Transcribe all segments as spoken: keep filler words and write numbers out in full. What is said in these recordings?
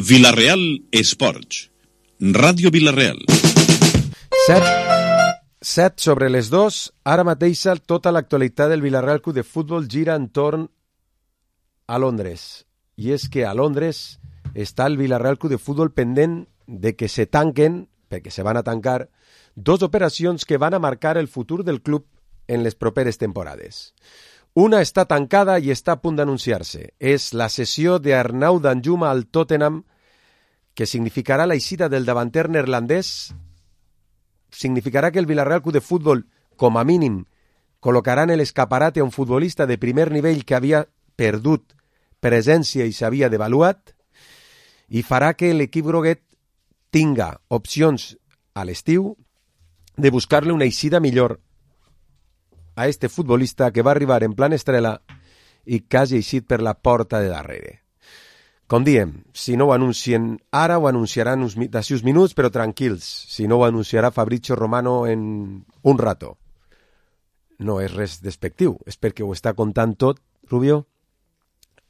Vila-real Esports. Ràdio Vila-real. Set, set sobre les dos. Ara mateix tota l'actualitat del Vila-real Club de Futbol gira entorn a Londres. I és que a Londres està el Vila-real Club de Futbol pendent de que se tanquen, perquè se van a tancar, dos operacions que van a marcar el futur del club en les properes temporades. Una està tancada i està a punt d'anunciar-se. És la cessió d'Arnau Danjuma al Tottenham, que significarà l'eixida del davanter neerlandès. Significarà que el Vila-real Club de Futbol, com a mínim, col·locarà en l'escaparate a un futbolista de primer nivell que havia perdut presència i s'havia devaluat, i farà que l'equip groguet tinga opcions a l'estiu de buscar-li una eixida millor a este futbolista que va arribar en plan estrella i que hagi eixit per la porta de darrere. Com diem, si no ho anuncien ara, ho anunciaran uns, d'ací uns minuts, però tranquils, si no ho anunciarà Fabrizio Romano en un rato. No és res despectiu, és perquè ho està contant tot, Rubio,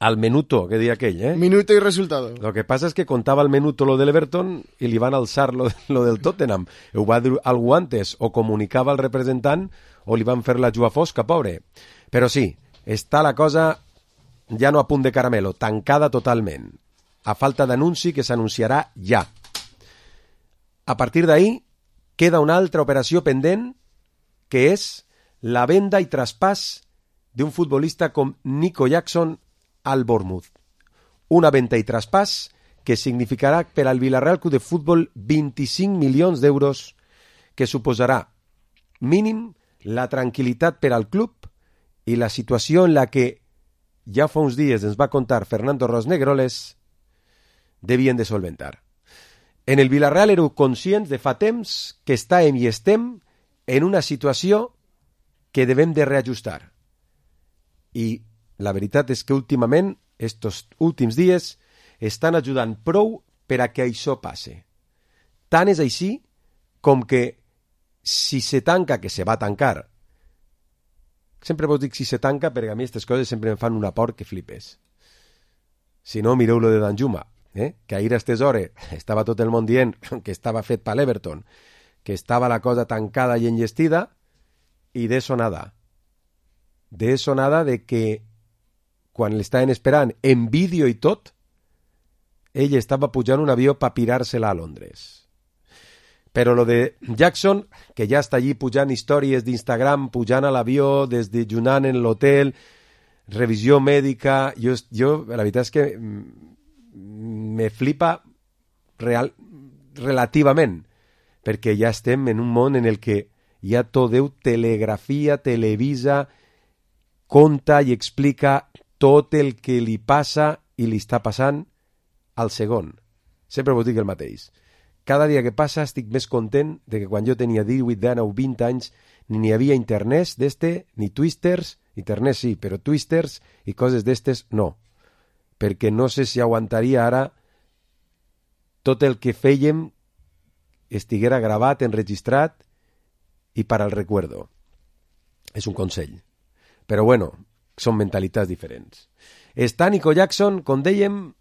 al minuto, que deia aquell, eh? Minuto y resultado. Lo que pasa es que contaba al minuto lo del Everton y le iban a alzar lo, lo del Tottenham. Ho va dir algú antes, o comunicava al representant o li van fer la jua fosca, pobre. Però sí, està la cosa ja no a punt de caramelo, tancada totalment. A falta d'anunci que s'anunciarà ja. A partir d'ahí queda una altra operació pendent, que és la venda i traspàs d'un futbolista com Nico Jackson al Bournemouth. Una venda i traspàs que significarà per al Vila-real Club de Futbol vint-i-cinc milions d'euros, que suposarà mínim la tranquil·litat per al club i la situació en la que ja fa uns dies ens va contar Fernando Rosnegroles devien de solventar. En el Vila-real éreu conscients de fa temps que estàvem i estem en una situació que devem de reajustar. I la veritat és que últimament, estos últims dies, estan ajudant prou per a que això passe. Tant és així com que si se tanca, que se va tancar, sempre vos dic si se tanca perquè a mi aquestes coses sempre em fan una por que flipes. Si no, mireu lo de Danjuma, eh? Que ahir a aquestes hores estava tot el món dient que estava fet per l'Everton, que estava la cosa tancada i enllestida, i d'eso nada. D'eso nada de que quan l'estaven esperant en vídeo i tot, ell estava pujant un avió per pirar-se-la a Londres. Però lo de Jackson, que ja està allí pujant històries d'Instagram, pujant a l'avió, desdejunant en l'hotel, revisió mèdica, jo, jo la veritat és que me flipa real, relativament, perquè ja estem en un món en el que ja tot Déu telegrafia, televisa, conta i explica tot el que li passa i li està passant al segon. Sempre vos dic el mateix. Cada dia que passa estic més content de que quan jo tenia divuit, dinou, vint anys ni n'hi havia internet d'este, ni twisters, internet sí, però twisters i coses d'estes no. Perquè no sé si aguantaria ara tot el que fèiem estiguera gravat, enregistrat i per al recuerdo. És un consell. Però bueno, són mentalitats diferents. Està Nico Jackson, com dèiem,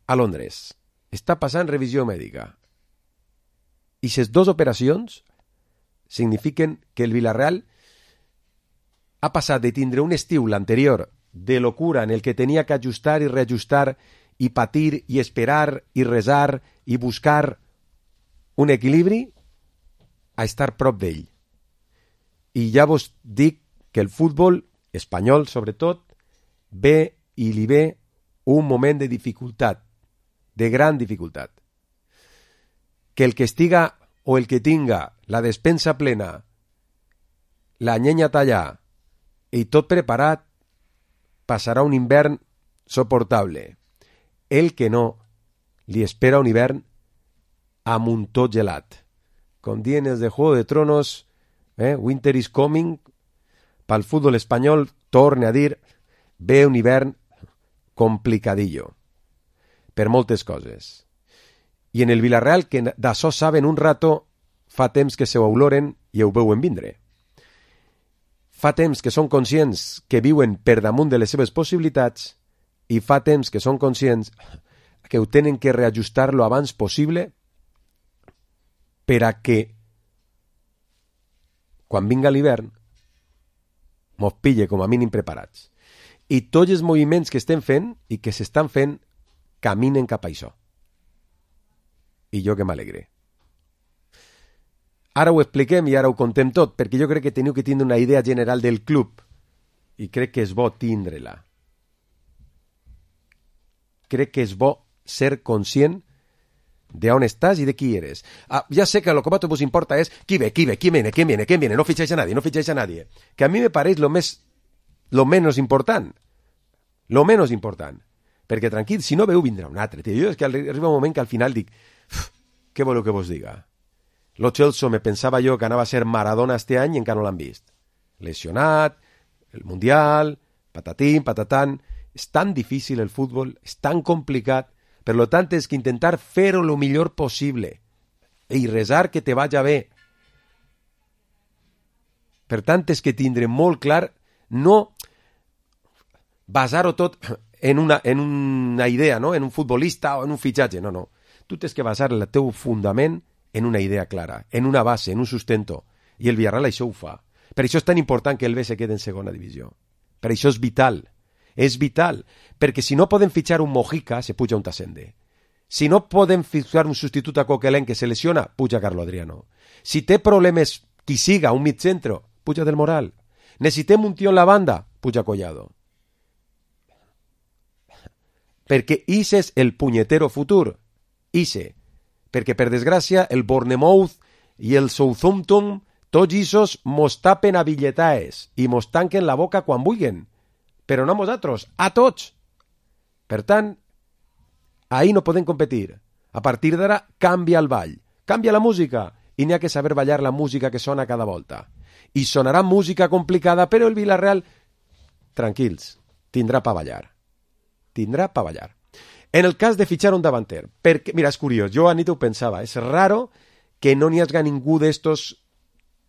a Londres. Està passant revisió mèdica. I aquestes dues operacions signifiquen que el Vila-real ha passat de tindre un estiu, l'anterior, de locura, en el que tenia que ajustar i reajustar i patir i esperar i resar i buscar un equilibri, a estar prop d'ell. I ja vos dic que el futbol espanyol, sobretot, ve i li ve un moment de dificultat, de gran dificultat. Que el que estiga o el que tinga la despensa plena, la llenya tallada i tot preparat, passarà un hivern soportable. El que no, li espera un hivern amb un tot gelat. Com diuen els de Juego de Tronos, eh? Winter is coming, pel futbol espanyol, torne a dir, ve un hivern complicadillo, per moltes coses. I en el Vila-real, que d'això saben un rato, fa temps que se ho oloren i ho veuen vindre. Fa temps que són conscients que viuen per damunt de les seves possibilitats i fa temps que són conscients que ho tenen que reajustar lo abans possible per a que quan vinga l'hivern mos pille com a mínim preparats. I tots els moviments que estem fent i que s'estan fent caminen cap a això. I jo que m'alegre. Ara ho expliquem i ara ho contem tot, perquè jo crec que teniu que tindre una idea general del club i crec que és bo tindre-la. Crec que és bo ser conscient de on estàs i de qui eres. Ah, ja sé que lo que más vos importa es qui ve, qui ve, qui viene, quién viene, quién viene, no ficháis a nadie, no ficháis a nadie. Que a mí me pareix lo més, lo menos important. Lo menos important. Perquè tranquil, si no veu vindrà un altre. Tio. Jo és que arriba un moment que al final dic, què voleu que vos diga? Lo Chelsea me pensava jo que anava a ser Maradona este any i encara no l'han vist. Lesionat, el Mundial, patatín, patatán. És tan difícil el futbol, és tan complicat. Per lo tant, és que intentar fer-ho el millor possible i resar que te vaja bé. Per tant, és que tindre molt clar no basar-ho tot en una, en una idea, no? En un futbolista o en un fitxatge. No, no. Tu tens que basar el teu fundament en una idea clara, en una base, en un sustento. I el Villarreal això ho fa. Per això és tan important que el B se quede en segona divisió. Per això és vital. És vital, perquè si no poden fitxar un Mojica, se puja un Tassende. Si no poden fitxar un substitut a Coquelin que se lesiona, puja Carlo Adriano. Si té problemes qui siga, un mitcentro, puja Del Moral. Necessitem un tio en la banda, puja Collado. Perquè ix és el punyetero futur. Ixe. Perquè, per desgràcia, el Bournemouth i el Southampton, tots ixos mos tapen a billetaes i mos tanquen la boca quan vulguen. Però no a nosaltres, a tots. Per tant, ahí no podem competir. A partir d'ara, canvia el ball, canvia la música, i n'hi ha que saber ballar la música que sona cada volta. I sonarà música complicada, però el Villarreal, tranquils, tindrà pa ballar. Tindrà pa ballar. En el cas de fitxar un davanter, perquè, mira, és curiós, jo a nit ho pensava, és raro que no n'hi hagi ningú d'estos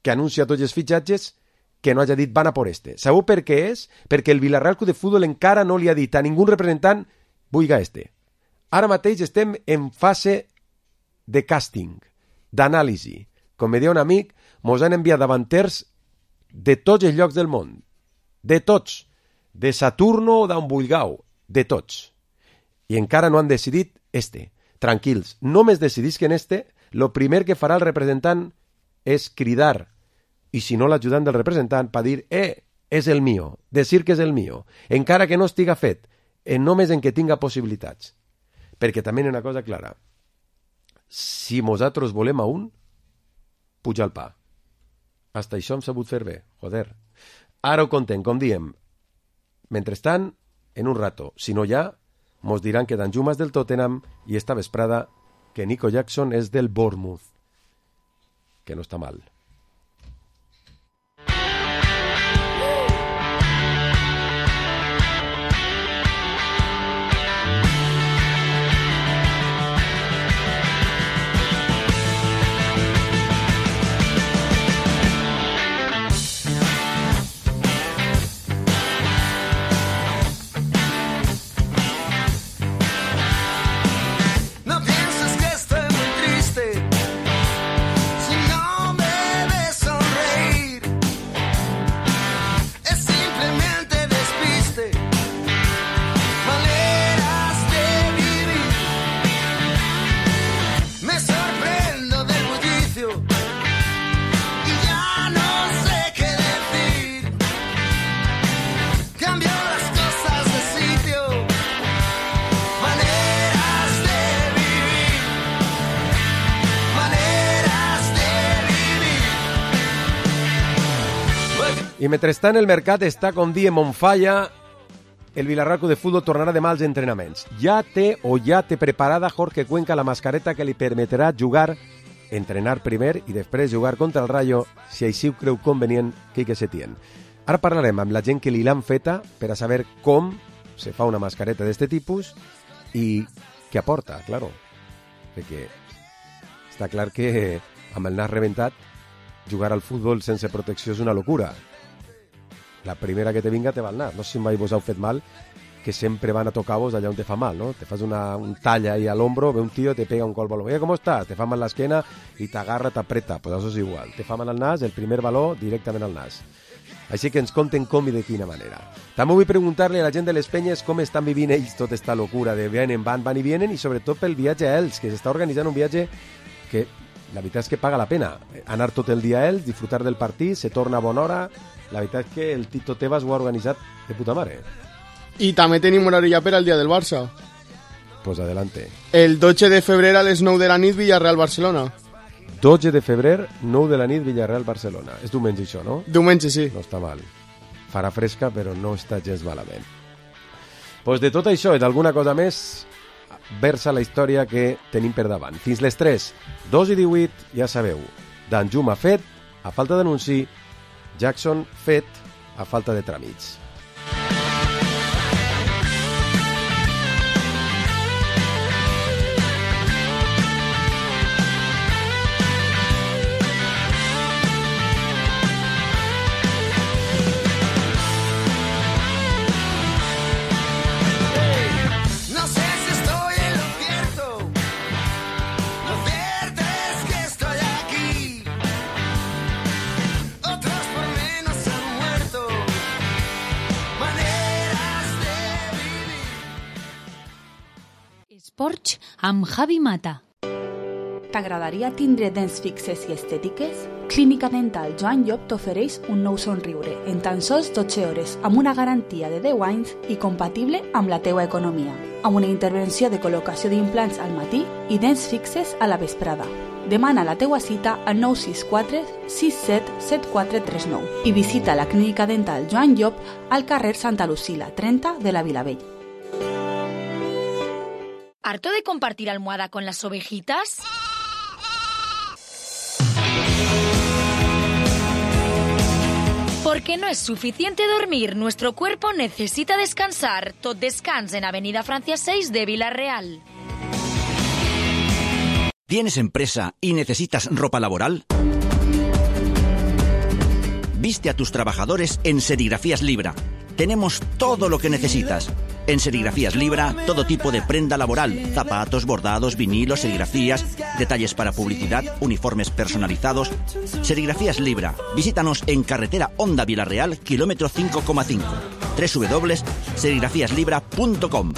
que anuncia tots els fitxatges que no hagi dit van a por este. Sabeu per què és? Perquè el Villarreal Club de Futbol encara no li ha dit a ningú representant vulga este. Ara mateix estem en fase de càsting, d'anàlisi. Com me deia un amic, mos han enviat davanters de tots els llocs del món. De tots. De Saturno o d'on vulgueu. De tots. I encara no han decidit este. Tranquils, només decidisquen este, lo primer que farà el representant és cridar. I si no l'ajudant del representant per dir, eh, és el mío, decir que és el mío, encara que no estiga fet, en només en que tinga possibilitats. Perquè també hi ha una cosa clara. Si nosaltres volem a un, puja el pa. Hasta això hem sabut fer bé, joder. Ara ho contem, com diem. Mentrestant, en un rato, si no hi ha, mos diran que Danjuma és del Tottenham i esta vesprada que Nico Jackson és del Bournemouth. Que no està mal. I mentrestant el mercat està, com diem, on falla. El Villarreal Club de Futbol tornarà demà als entrenaments. Ja té o ja té preparada Jorge Cuenca la mascareta que li permetrà jugar, entrenar primer i després jugar contra el Rayo, si així ho creu convenient Quique Setién. Ara parlarem amb la gent que li l'han feta per a saber com se fa una mascareta d'este tipus i què aporta, claro. Perquè està clar que amb el nas rebentat jugar al futbol sense protecció és una locura. La primera que te vinga te va al nas. No sé si mai vos heu fet mal que sempre van a tocar-vos allà on te fa mal, no? Te fas una, un tall ahí al hombro, ve un tío, te pega un col baló. Oye, ¿cómo estás? Te fa mal l'esquena i t'agarra, t'apreta. Pues això és igual. Te fa mal al nas, el primer baló directament al nas. Així que ens conten com i de quina manera. També vull preguntar-li a la gent de les penyes com estan vivint ells tota esta locura de vienen, van, van i vienen, i sobretot pel viatge a ells, que s'està organitzant un viatge que la veritat és que paga la pena. Anar tot el dia a ells, disfrutar del partit, se torna a bona hora. La veritat és que el Tito Tebas ho ha organitzat de puta mare. I també tenim horari ja per al dia del Barça. Pues adelante. El dotze de febrer a les nou de la nit, Villarreal-Barcelona. dotze de febrer, nou de la nit, Villarreal-Barcelona. És diumenge això, no? Diumenge, sí. No està mal. Farà fresca, però no està gens malament. Pues de tot això i d'alguna cosa més, versa la història que tenim per davant. Fins les tres, dos i divuit, ja sabeu. Danjuma fet, a falta d'anunci. Jackson fet, a falta de tràmits. Esports amb Javi Mata. T'agradaria tindre dents fixes i estètiques? Clínica Dental Joan Llop t'ofereix un nou somriure en tan sols dotze hores amb una garantia de deu anys i compatible amb la teua economia, amb una intervenció de col·locació d'implants al matí i dents fixes a la vesprada. Demana la teua cita al nou sis quatre sis set set quatre tres nou i visita la Clínica Dental Joan Llop al carrer Santa Lucila, trenta de la Vilavell. ¿Harto de compartir almohada con las ovejitas? Porque no es suficiente dormir, nuestro cuerpo necesita descansar. Tot Descans en Avenida Francia seis de Vila-real. ¿Tienes empresa y necesitas ropa laboral? Viste a tus trabajadores en Serigrafías Libra. Tenemos todo lo que necesitas. En Serigrafías Libra, todo tipo de prenda laboral, zapatos, bordados, vinilos, serigrafías, detalles para publicidad, uniformes personalizados. Serigrafías Libra. Visítanos en carretera Honda Vila-real, kilómetro cinco coma cinco. doble u doble u doble u punto serigrafías libra punto com.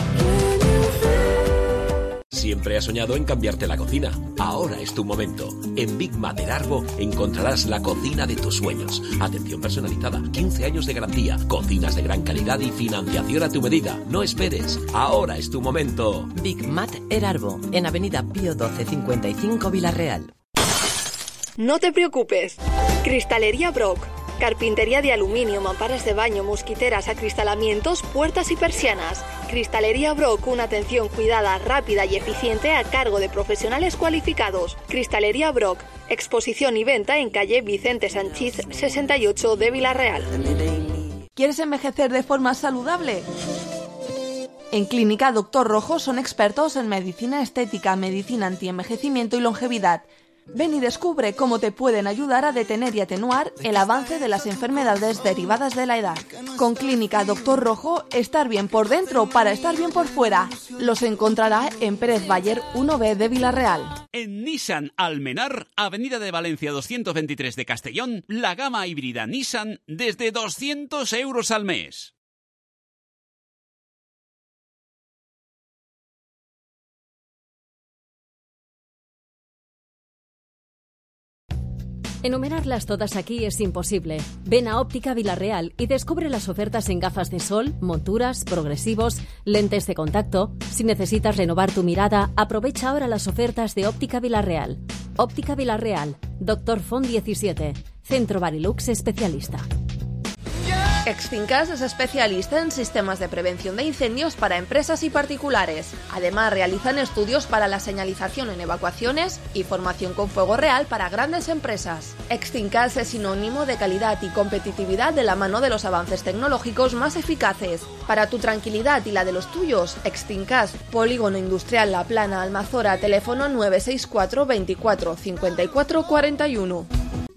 Siempre has soñado en cambiarte la cocina. Ahora es tu momento. En Big Mat Erarbo encontrarás la cocina de tus sueños. Atención personalizada, quince años de garantía, cocinas de gran calidad y financiación a tu medida. No esperes. Ahora es tu momento. Big Mat Erarbo, en Avenida Pío doce cincuenta y cinco Vila-real. No te preocupes. Cristalería Brock. Carpintería de aluminio, mamparas de baño, mosquiteras, acristalamientos, puertas y persianas. Cristalería Brock, una atención cuidada, rápida y eficiente a cargo de profesionales cualificados. Cristalería Brock, exposición y venta en calle Vicente Sanchís sesenta y ocho de Vila-real. ¿Quieres envejecer de forma saludable? En Clínica Doctor Rojo son expertos en medicina estética, medicina antienvejecimiento y longevidad. Ven y descubre cómo te pueden ayudar a detener y atenuar el avance de las enfermedades derivadas de la edad. Con Clínica Doctor Rojo, estar bien por dentro para estar bien por fuera. Los encontrará en Pérez Bayer uno B de Vila-real. En Nissan Almenar, Avenida de Valencia doscientos veintitrés de Castellón, la gama híbrida Nissan desde doscientos euros al mes. Enumerarlas todas aquí es imposible. Ven a Óptica Vila-real y descubre las ofertas en gafas de sol, monturas, progresivos, lentes de contacto. Si necesitas renovar tu mirada, aprovecha ahora las ofertas de Óptica Vila-real. Óptica Vila-real, Doctor Font diecisiete, Centro Barilux especialista. Exfincas es especialista en sistemas de prevención de incendios para empresas y particulares. Además, realizan estudios para la señalización en evacuaciones y formación con fuego real para grandes empresas. Exfincas es sinónimo de calidad y competitividad de la mano de los avances tecnológicos más eficaces. Para tu tranquilidad y la de los tuyos, Exfincas, Polígono Industrial La Plana, Almazora, teléfono nueve seis cuatro veinticuatro cincuenta y cuatro cuarenta y uno.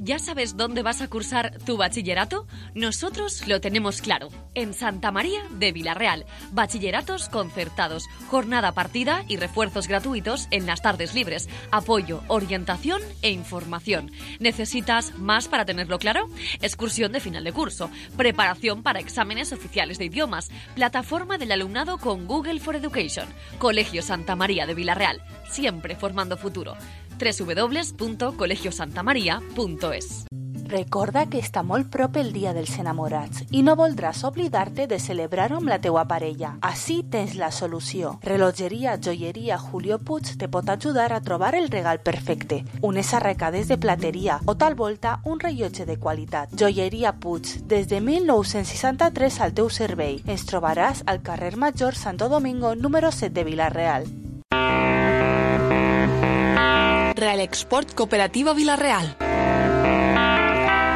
¿Ya sabes dónde vas a cursar tu bachillerato? Nosotros lo tenemos claro. En Santa María de Vilarreal. Bachilleratos concertados, jornada partida y refuerzos gratuitos en las tardes libres. Apoyo, orientación e información. ¿Necesitas más para tenerlo claro? Excursión de final de curso. Preparación para exámenes oficiales de idiomas. Plataforma del alumnado con Google for Education. Colegio Santa María de Vilarreal. Siempre formando futuro. doble u doble u doble u punto colegio santa maria punto es. Recorda que està molt prop el Dia dels Enamorats i no voldràs oblidar-te de celebrar-ho amb la teua parella. Així tens la solució. Relogeria Joieria Julio Puig te pot ajudar a trobar el regal perfecte. Unes arracades de plateria o tal volta un rellotge de qualitat. Joieria Puig, des de mil nou-cents seixanta-tres al teu servei. Ens trobaràs al carrer Major Santo Domingo número set de Vilarreal. Real Export Cooperativa Vilarreal.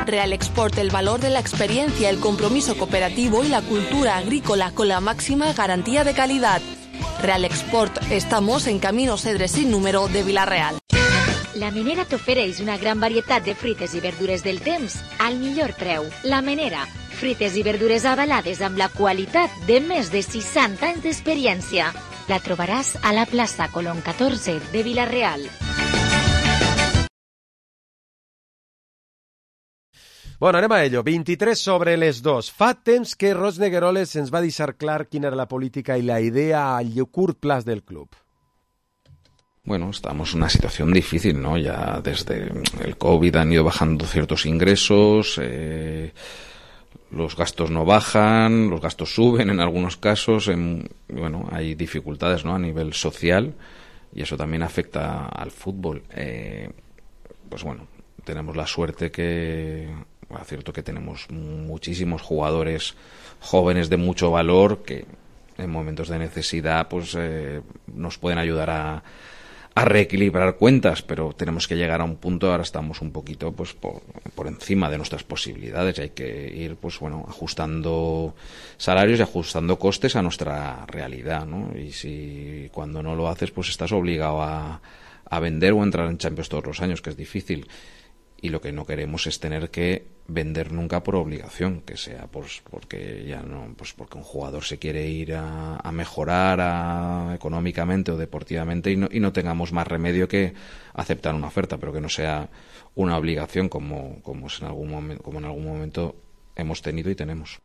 Real Export, el valor de la experiencia, el compromiso cooperativo y la cultura agrícola con la máxima garantía de calidad. Real Export, estamos en Camino Cedres sin número de Vilarreal. La Menera t'ofereix una gran varietat de fruites i verdures del temps al millor preu. La Menera, fruites i verdures avalades amb la qualitat de més de seixanta anys d'experiència. La trobaràs a la plaça Colón catorze de Vilarreal. Bueno, anem a ello. vint-i-tres sobre les dos. Fa temps que Ros Negueroles ens va deixar clar quina era la política y la idea a curt plaç del club. Bueno, estamos en una situación difícil, ¿no? Ya desde el COVID han ido bajando ciertos ingresos, eh, los gastos no bajan, los gastos suben en algunos casos, en, bueno, hay dificultades, ¿no? A nivel social y eso también afecta al fútbol. Eh, pues bueno, tenemos la suerte que... Es cierto que tenemos muchísimos jugadores jóvenes de mucho valor que en momentos de necesidad pues eh, nos pueden ayudar a, a reequilibrar cuentas, pero tenemos que llegar a un punto, ahora estamos un poquito pues por, por encima de nuestras posibilidades y hay que ir pues bueno ajustando salarios y ajustando costes a nuestra realidad, ¿no? Y si cuando no lo haces pues estás obligado a, a vender o entrar en Champions todos los años, que es difícil. Y lo que no queremos es tener que vender nunca por obligación, que sea pues porque ya no, pues porque un jugador se quiere ir a, a mejorar a, económicamente o deportivamente y no, y no tengamos más remedio que aceptar una oferta, pero que no sea una obligación como, como, es en algún momento, como en algún momento hemos tenido y tenemos.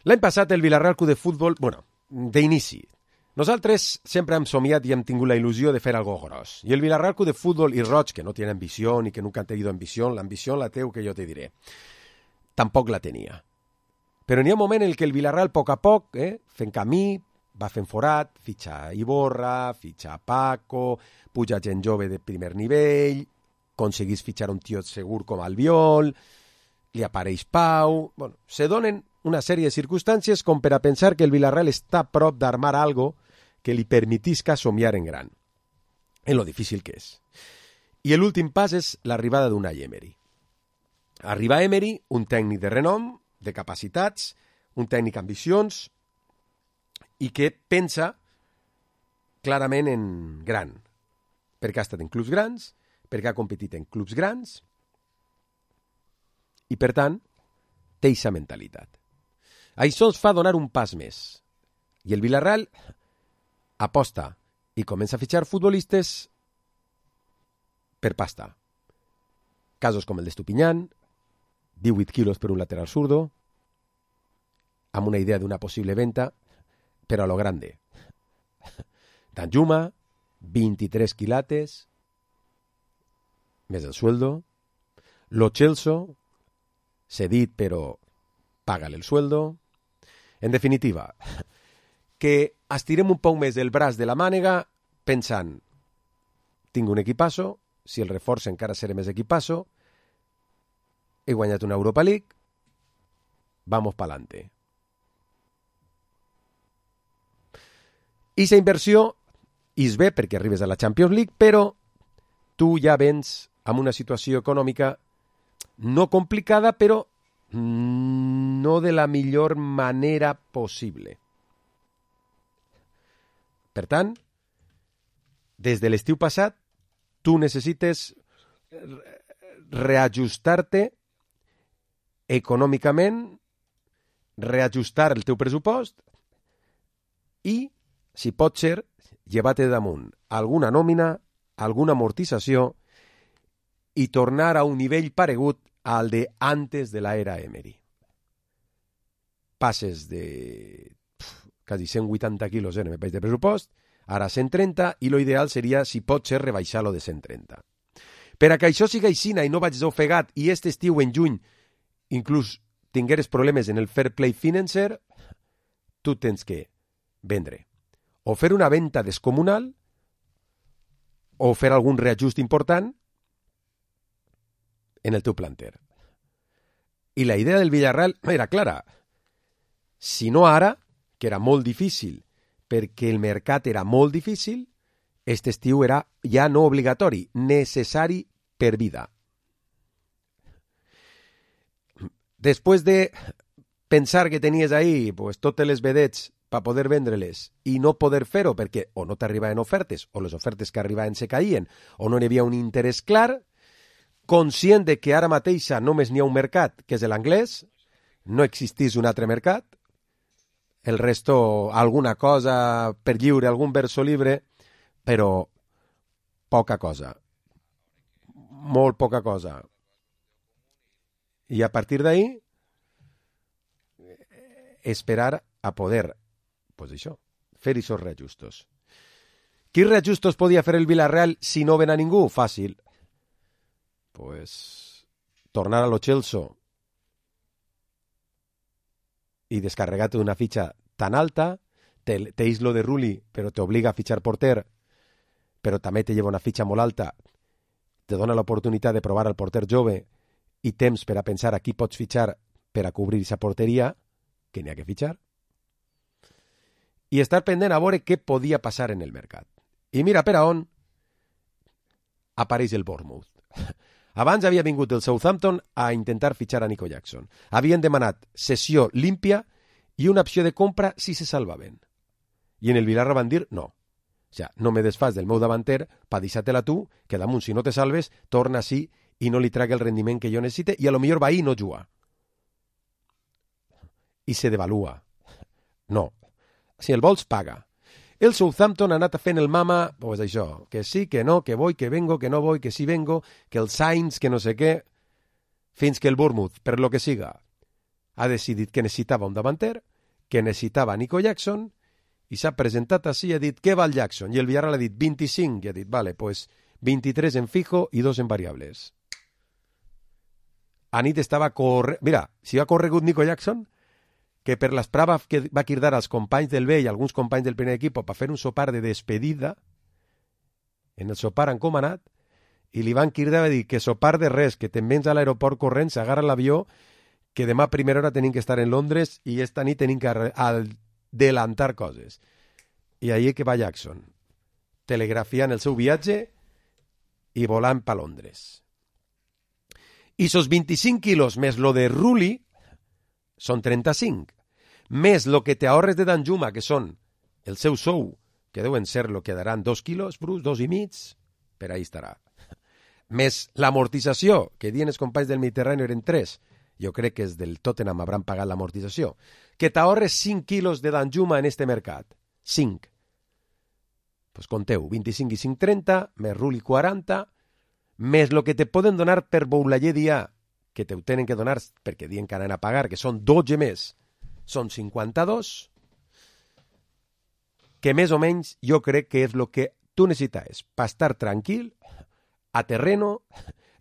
L'any passat el Vilarreal Club de Futbol, bueno, d'inici, nosaltres sempre hem somiat i hem tingut la il·lusió de fer algo gros. I el Vilarreal Club de Fútbol y Roig, que no tiene ambición y que nunca han tenido ambición, la ambición la teu que yo te diré, tampoc la tenia. Però n'hi ha un moment en què el Vilarreal, a poc a poc, eh, fent camí, va fent forat, fitxa Iborra, fitxa Paco, puja gent jove de primer nivell, aconseguís fitxar un tio segur com Albiol, li apareix Pau... Bueno, se donen una sèrie de circumstàncies com per a pensar que el Vilarreal està a prop d'armar algo que li permetisca somiar en gran, en lo difícil que és. I l'últim pas és l'arribada d'Unai Emery. Arriba Emery, un tècnic de renom, de capacitats, un tècnic ambicions i que pensa clarament en gran, perquè ha estat en clubs grans, perquè ha competit en clubs grans i, per tant, té aquesta mentalitat. Això ens fa donar un pas més. I el Vilarreal aposta i comença a fitxar futbolistes per pasta. Casos com el d'Estupiñán, divuit quilos per un lateral zurdo, amb una idea d'una possible venta, però a lo grande. Danjuma, vint-i-tres quilates, més el sueldo. Lo Celso, cedit però págale el sueldo. En definitiva, que estirem un poc més el braç de la mànega pensant, tinc un equipasso, si el reforç encara seré més equipasso, he guanyat una Europa League, vamos pa'lante. I la inversió és bé perquè arribes a la Champions League, però tu ja vens amb una situació econòmica no complicada, però no de la millor manera possible. Per tant, des de l'estiu passat, tu necessites reajustar-te econòmicament, reajustar el teu pressupost i, si pot ser, llevar-te damunt alguna nòmina, alguna amortització i tornar a un nivell paregut al de antes de la era Emery. Passes de pf, quasi cent vuitanta quilos en el país de pressupost, ara cent trenta, i lo ideal seria, si pot ser, rebaixar-lo de cent trenta. Per a que això siga aixina i no vaig ofegat i este estiu en juny inclús tingueres problemes en el fair play financer, tu tens que vendre. O fer una venda descomunal o fer algun reajust important en el teu planter. I la idea del Villarreal era clara. Si no ara, que era molt difícil, perquè el mercat era molt difícil, este estiu era ja no obligatori, necessari per vida. Després de pensar que tenies ahí pues, totes les vedets per poder vendre-les i no poder fer-ho perquè o no t'arribaven ofertes o les ofertes que arribaven se caïen o no hi havia un interès clar, conscient de que ara mateixa només n'hi ha un mercat, que és l'anglès, no existís un altre mercat, el resto, alguna cosa per lliure, algun verso libre, però poca cosa. Molt poca cosa. I a partir d'ahí, esperar a poder, pues això, fer aquests reajustos. Quins reajustos podia fer el Villarreal si no ven a ningú? Fàcil. Pues tornar a lo Chelsea y descarregarte una ficha tan alta, te, te islo de Rulli, pero te obliga a fichar porter, però també te lleva una fitxa molt alta, te dona l'oportunitat de provar al porter jove i temps per a pensar a qui pots fitxar per a cobrir aquesta porteria, que n'hi ha que fitxar, i estar pendent a veure què podia passar en el mercat. I mira per a on apareix el Bournemouth. Abans havia vingut el Southampton a intentar fitxar a Nico Jackson. Havien demanat cessió límpia i una opció de compra si se salvaven. I en el Villarreal van dir no. O sea, no me desfas del meu davanter pa deixar-te-la tu, que damunt si no te salves, torna així i no li trague el rendiment que jo necessite i a lo millor va ahí i no juga. I se devalua. No. Si el vols, paga. El Southampton ha anat fent el mama, pues això, que sí, que no, que voy, que vengo, que no voy, que sí vengo, que el Sainz, que no sé què, fins que el Bournemouth, per lo que siga, ha decidit que necessitava un davanter, que necessitava Nico Jackson, i s'ha presentat així i ha dit, què val Jackson? I el Villarreal ha dit vint-i-cinc, i ha dit, vale, pues vint-i-tres en fijo i dos en variables. A nit estava corre... Mira, si ha corregut Nico Jackson, que per l'esprava que va cridar als companys del B i alguns companys del primer equip per fer un sopar de despedida, en el sopar han comanat, i li van cridar a dir que sopar de res, que te'n vens a l'aeroport corrent, s'agarra l'avió, que demà a primera hora tenim que estar en Londres i esta nit tenim que adelantar coses. I ahí que va Jackson, telegrafiant el seu viatge i volant pa Londres. I sos vint-i-cinc quilos més lo de Rulli són trenta-cinc, més lo que te ahorres de Danjuma, que són el seu sou, que deuen ser lo que daran dos quilos, Bruce, dos i mig, per ahí estarà. Més l'amortització, que dient els companys del Mediterrani eren tres, jo crec que és del Tottenham hauran pagat l'amortització, que t'ahorres cinc quilos de Danjuma en este mercat. cinc. Pues conteu, vint-i-cinc i cinc, trenta, més Rulli quaranta, més lo que te poden donar per Boulaye Dia, que te ho tenen que donar perquè diuen que anen a pagar, que són dotze més, són cinquanta-dos, que més o menys jo crec que és el que tu necessites per estar tranquil, a terreno,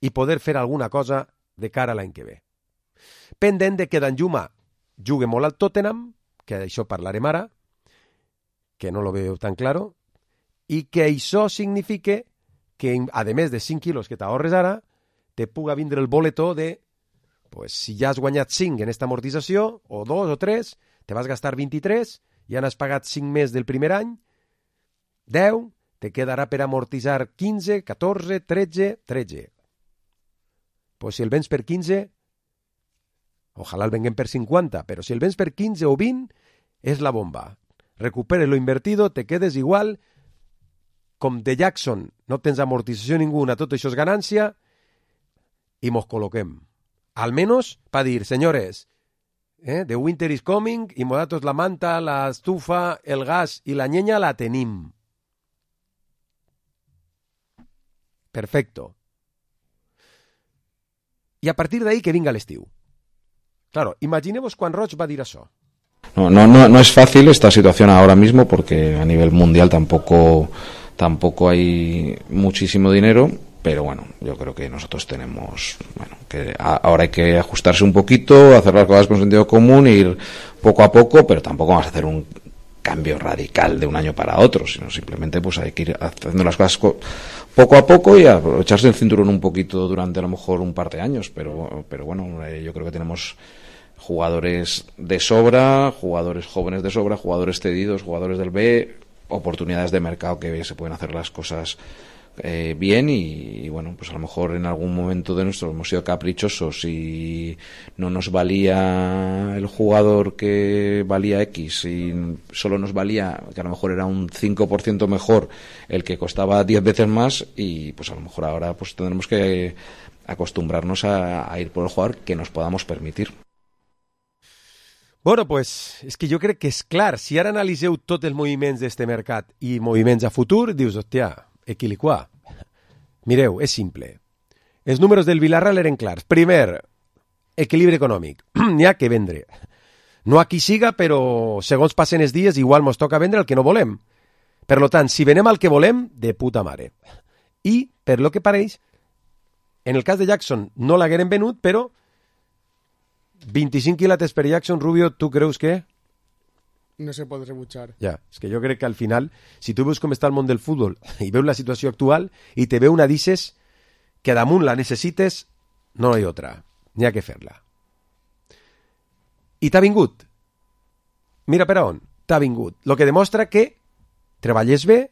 i poder fer alguna cosa de cara a l'any que ve. Pendent de que Danjuma jugui molt al Tottenham, que d'això parlarem ara, que no lo veo tan claro, i que això signifique que, a més de cinc quilos que t'ahorres ara, te puga vindre el boletó de, pues, si ja has guanyat cinc en esta amortització, o dos o tres, te vas gastar vint-i-tres, ja n'has pagat cinc més del primer any, deu, te quedarà per amortitzar quinze, catorze, tretze, tretze. Pues si el vens per quinze, ojalà el venguem per cinquanta, però si el vens per quinze o vint, és la bomba. Recuperes lo invertido, te quedes igual, com de Jackson no tens amortització ninguna, tot això és ganància, y mos coloquem. Al menos para dir, señores, eh, the winter is coming y modatos la manta, la estufa, el gas y la ñeña la tenim. Perfecto. I a partir d'ahí que vinga l'estiu. Claro, imaginemos quan Roig va dir això. No, no, no, no es fácil esta situación ahora mismo porque a nivel mundial tampoco, tampoco hay muchísimo dinero, pero bueno, yo creo que nosotros tenemos, bueno, que a, ahora hay que ajustarse un poquito, hacer las cosas con sentido común, ir poco a poco, pero tampoco vamos a hacer un cambio radical de un año para otro, sino simplemente pues hay que ir haciendo las cosas poco a poco y aprovecharse el cinturón un poquito durante a lo mejor un par de años, pero, pero bueno, eh, yo creo que tenemos jugadores de sobra, jugadores jóvenes de sobra, jugadores cedidos, jugadores del B, oportunidades de mercado que se pueden hacer las cosas eh, bien y, y bueno, pues a lo mejor en algún momento de nuestro hemos sido caprichosos y no nos valía el jugador que valía X y solo nos valía, que a lo mejor era un cinco por ciento mejor el que costaba diez veces más y pues a lo mejor ahora pues tendremos que acostumbrarnos a, a ir por el jugador que nos podamos permitir. Bueno, pues, és que jo crec que és clar, si ara analiseu tots els moviments d'este mercat i moviments a futur, dius, hòstia, equiliquà. Mireu, és simple. Els números del Villarreal eren clars. Primer, equilibri econòmic. N'hi ha que vendre. No a qui siga, però segons passen els dies, igual mos toca vendre el que no volem. Per lo tant, si venem el que volem, de puta mare. I, per lo que pareix, en el cas de Jackson no l'hagueren venut, però vint-i-cinc quilates per Jackson, Rubio, tu creus que? No se pot rebutjar. Ja, és que jo crec que al final, si tu veus com està el món del futbol i veus la situació actual i te veu una dices que damunt la necessites, no hi ha otra. N'hi ha que fer-la. I t'ha vingut. Mira per on. T'ha vingut. Lo que demostra que treballes bé,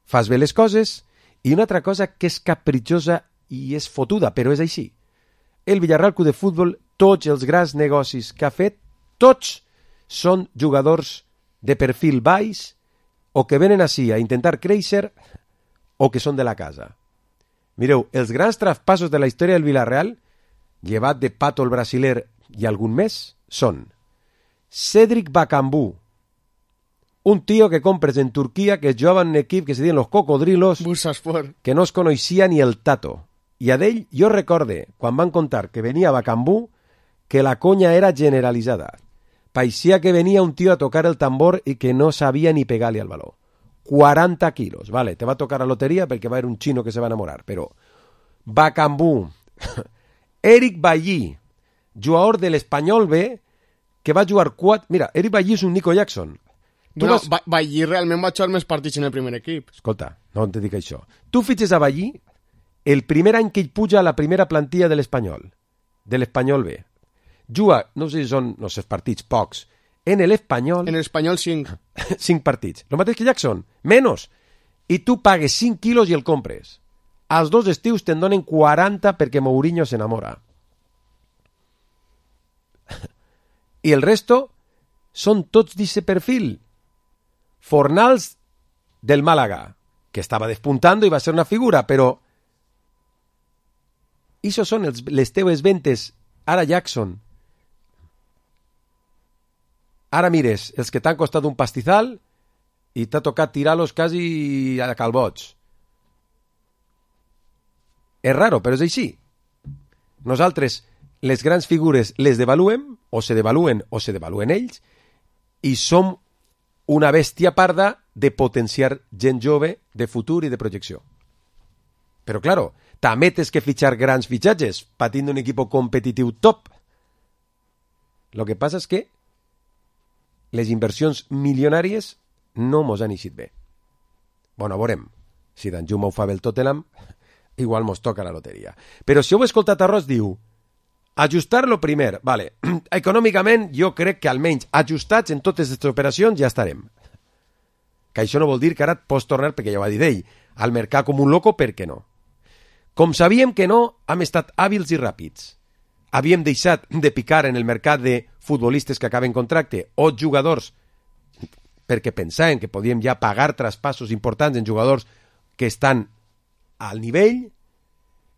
fas bé les coses i una altra cosa que és capritxosa i és fotuda, però és així. El Villarreal Club de Futbol, tots els grans negocis que ha fet, tots són jugadors de perfil baix o que venen així a intentar créixer o que són de la casa. Mireu, els grans traspassos de la història del Villarreal, llevat de Pato el brasiler i algun més, són Cédric Bakambu, un tío que compres en Turquia que jugava en un equip que se diuen los Cocodrilos, que no es coneixia ni el tato. I a d'ell jo recorde, quan van contar que venia Bakambu, que la conya era generalitzada. Parecía que venia un tío a tocar el tambor i que no sabia ni pegar-li al baló. quaranta quilos, vale, te va a tocar la loteria perquè va haver un xino que se va enamorar, però Bakambu, Eric Bailly, jugador de l'Espanyol B, que va jugar quatre... Mira, Eric Bailly és un Nico Jackson. Tu bueno, vas... Bailly realment va jugar més partits en el primer equip. Escolta, no te dic això. Tu fitxes a Bailly el primer any que ell puja a la primera plantilla de l'Espanyol, de l'Espanyol B. Juga, no sé si són, no sé, partits, pocs, en l'Espanyol... En l'Espanyol cinc. cinc partits. Lo mateix que Jackson, menos. I tu pagues cinc quilos i el compres. Als dos estius te'n donen quaranta perquè Mourinho s'enamora. I el resto són tots d'aquest perfil. Fornals del Màlaga, que estava despuntando i va ser una figura, però això són els, les teves ventes. Ara Jackson. Ara mires, els que t'han costat un pastizal i t'ha tocat tirar-los quasi a calbots. És raro, però és així. Nosaltres, les grans figures, les devaluem, o se devaluen o se devaluen ells, i som una bèstia parda de potenciar gent jove de futur i de projecció. Però, claro, també tens que fitxar grans fitxatges, patint un equip competitiu top. Lo que passa és que les inversions milionàries no mos han eixit bé. Bueno, veurem. Si Danjuma ho fa bé el Tottenham, igual mos toca la loteria. Però si heu escoltat a Ross, diu ajustar-lo primer. Vale. Econòmicament, jo crec que almenys ajustats en totes aquestes operacions ja estarem. Que això no vol dir que ara et pots tornar, perquè ja ho va dir ell, al mercat com un loco, per què no? Com sabíem que no, hem estat hàbils i ràpids. Havíem deixat de picar en el mercat de futbolistes que acaben contracte o jugadors perquè pensaven que podíem ja pagar traspassos importants en jugadors que estan al nivell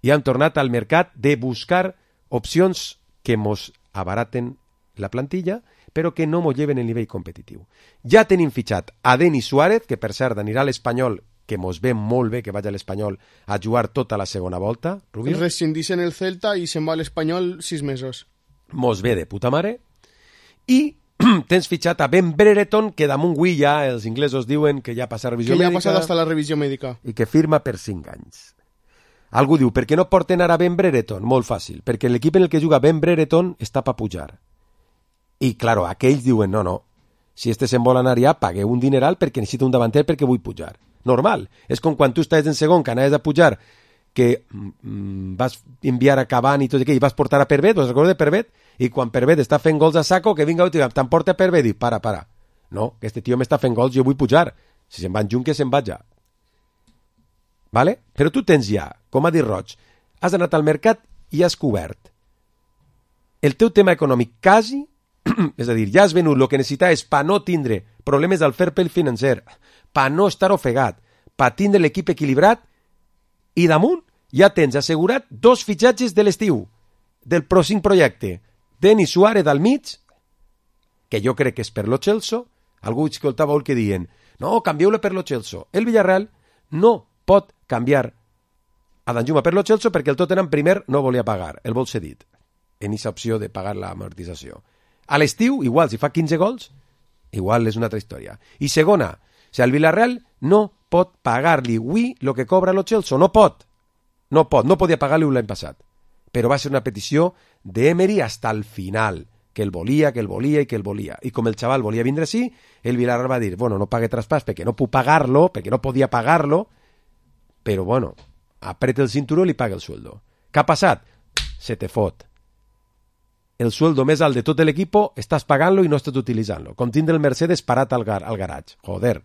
i hem tornat al mercat de buscar opcions que mos abaraten la plantilla, però que no mos lleven el nivell competitiu. Ja tenim fitxat a Denis Suárez, que per cert anirà a l'Espanyol, que mos ve molt bé que vagi a l'Espanyol a jugar tota la segona volta. Rubio? Rescindís en el Celta i se'n va a l'Espanyol sis mesos. Mos ve de puta mare. I tens fitxat a Ben Brereton, que damunt avui ja els inglesos diuen que ja passa revisió mèdica. Que ja mèdica, ha passat hasta la revisió mèdica. I que firma per cinc anys. Algú diu, per què no porten ara Ben Brereton? Molt fàcil, perquè l'equip en el que juga Ben Brereton està per pujar. I, claro, aquells diuen, no, no, si este se'n vol anar ja, pagueu un dineral perquè necessito un davanter perquè vull pujar. Normal. És com quan tu estàs en segon, que anaves a pujar, que mm, vas enviar a Cavani i tot aquell, i vas portar a Pervet, us recordes de Pervet? I quan Pervet està fent gols a saco, que vinga, t'emporta a Pervet, i para, para. No, que este tio m'està fent gols, jo vull pujar. Si se'n van junt, que se'n vaja. Vale? Però tu tens ja, com ha dit Roig, has anat al mercat i has cobert el teu tema econòmic quasi, és a dir, ja has venut el que necessitaves per no tindre problemes del fair play financer, per no estar ofegat, per tindre l'equip equilibrat, i damunt ja tens assegurat dos fitxatges de l'estiu, del pròxim projecte. Denis Suárez al mig, que jo crec que és per lo Chelsea, algú escoltava el que diuen, no, canvieu-lo per lo Chelsea. El Villarreal no pot canviar a Danjuma per lo Chelsea perquè el Tottenham primer no volia pagar, el vol cedit, en aquesta opció de pagar l'amortització. A l'estiu, igual, si fa quinze gols, igual és una altra història. I segona, o sigui, el Villarreal no pot pagar-li avui el que cobra lo Chelsea, no pot. No pot, no podia pagar-li l'any passat. Però va ser una petició d'Emery hasta el final, que el volia, que el volia i que el volia. I com el xaval volia vindre així, el Villarreal va dir, bueno, no pague traspàs perquè no puc pagar-lo, perquè no podia pagar-lo, però bueno, apreta el cinturó i li paga el sueldo. Què ha passat? Se te fot. El sueldo més alt de tot l'equip estàs pagant-lo i no estàs utilitzant-lo. Com tindre el Mercedes parat al, gar al garatge. Joder.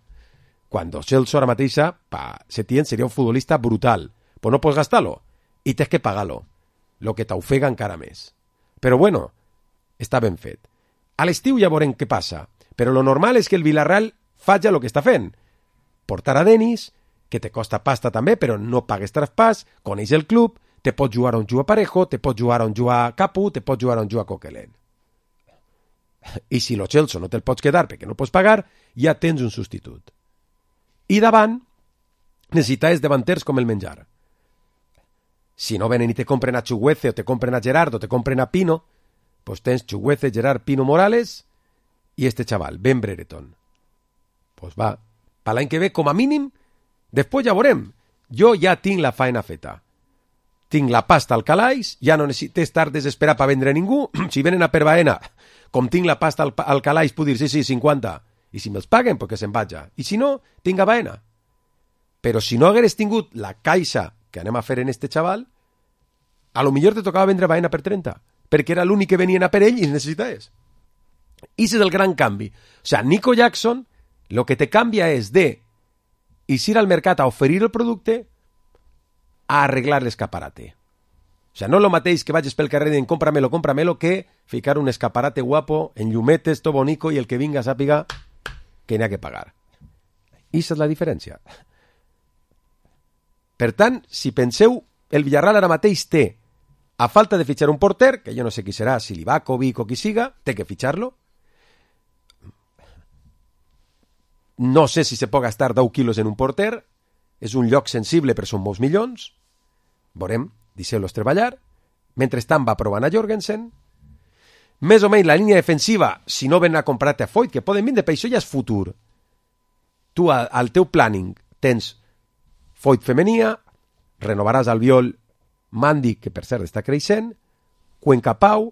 Quan Chelsea ara mateixa, pa, Setién seria un futbolista brutal. Pues no pots gastar-lo i tens que pagar-lo. Lo que t'ofega encara més. Però bueno, està ben fet. A l'estiu ja veurem què passa. Però lo normal és que el Villarreal faci el que està fent. Portar a Denis, que te costa pasta també, però no pagues traspàs, coneix el club, te pots jugar on juga Parejo, te pots jugar on juga Capu, te pots jugar on juga Coquelin. I si lo Chelsea no te'l pots quedar perquè no pots pagar, ja tens un substitut. I davant, necessites davanters com el menjar. Si no venen i te compren a Chuguece, o te compren a Gerard, o te compren a Pino, pues tens Chuguece, Gerard, Pino, Morales i este chaval, Ben Brereton. Pues va, per l'any que ve, com a mínim, després ja veurem. Jo ja tinc la faena feta. Tinc la pasta al calaix, ja no necessito estar desesperat per vendre a ningú. Si venen a per Baena, com tinc la pasta al, al calaix, puc dir, sí, sí, cinquanta. I si me'ls paguen, perquè se'n vaja. I si no, tinc a Baena. Però si no hagueres tingut la caixa que anem a fer en este xaval, a lo millor te tocava vendre Baena per trenta, perquè era l'únic que venien a per ell i necessitaves. I és el gran canvi. O sigui, Nico Jackson, lo que te canvia és de ir al mercat a oferir el producte a arreglar l'escaparate. O sigui, no és el mateix que vagis pel carrer dient cómpramelo, cómpramelo, que ficar un escaparate guapo en llumetes, todo bonico, i el que vinga sàpiga que n'hi ha que pagar. I aquesta és la diferència. Per tant, si penseu, el Villarreal ara mateix té, a falta de fitxar un porter, que jo no sé qui serà, si Livakovic o qui siga, té que fitxar-lo. No sé si se pot gastar deu quilos en un porter, és un lloc sensible però són molts milions, veurem, deixeu-los treballar. Mentrestant va provant a Jorgensen. Més o menys la línia defensiva, si no ven a comprar-te a Foyt, que poden vindre, per això ja és futur. Tu al teu planning tens Foyt femenia, renovaràs Albiol, Mandi, que per cert està creixent, Cuenca Pau,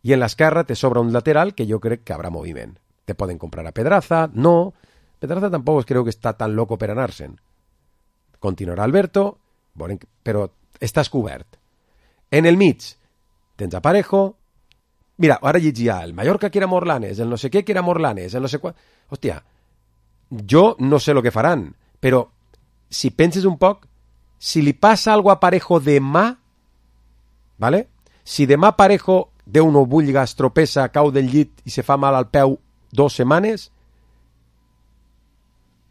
i en l'esquerra te sobra un lateral que jo crec que haurà moviment. Te poden comprar a Pedraza, no, Pedraza tampoc creu que està tan loco per anar-se'n. Continuarà Alberto, però estàs cobert. En el mig tens a Parejo. Mira, ara llegia el Mallorca que era Morlanes, el no sé què que era Morlanes, el no sé quan... Hòstia, jo no sé el que faran, però si penses un poc, si li passa algo a Parejo demà, ¿vale? Si demà Parejo, Déu no vulga, es tropessa, cau del llit i se fa mal al peu dos setmanes,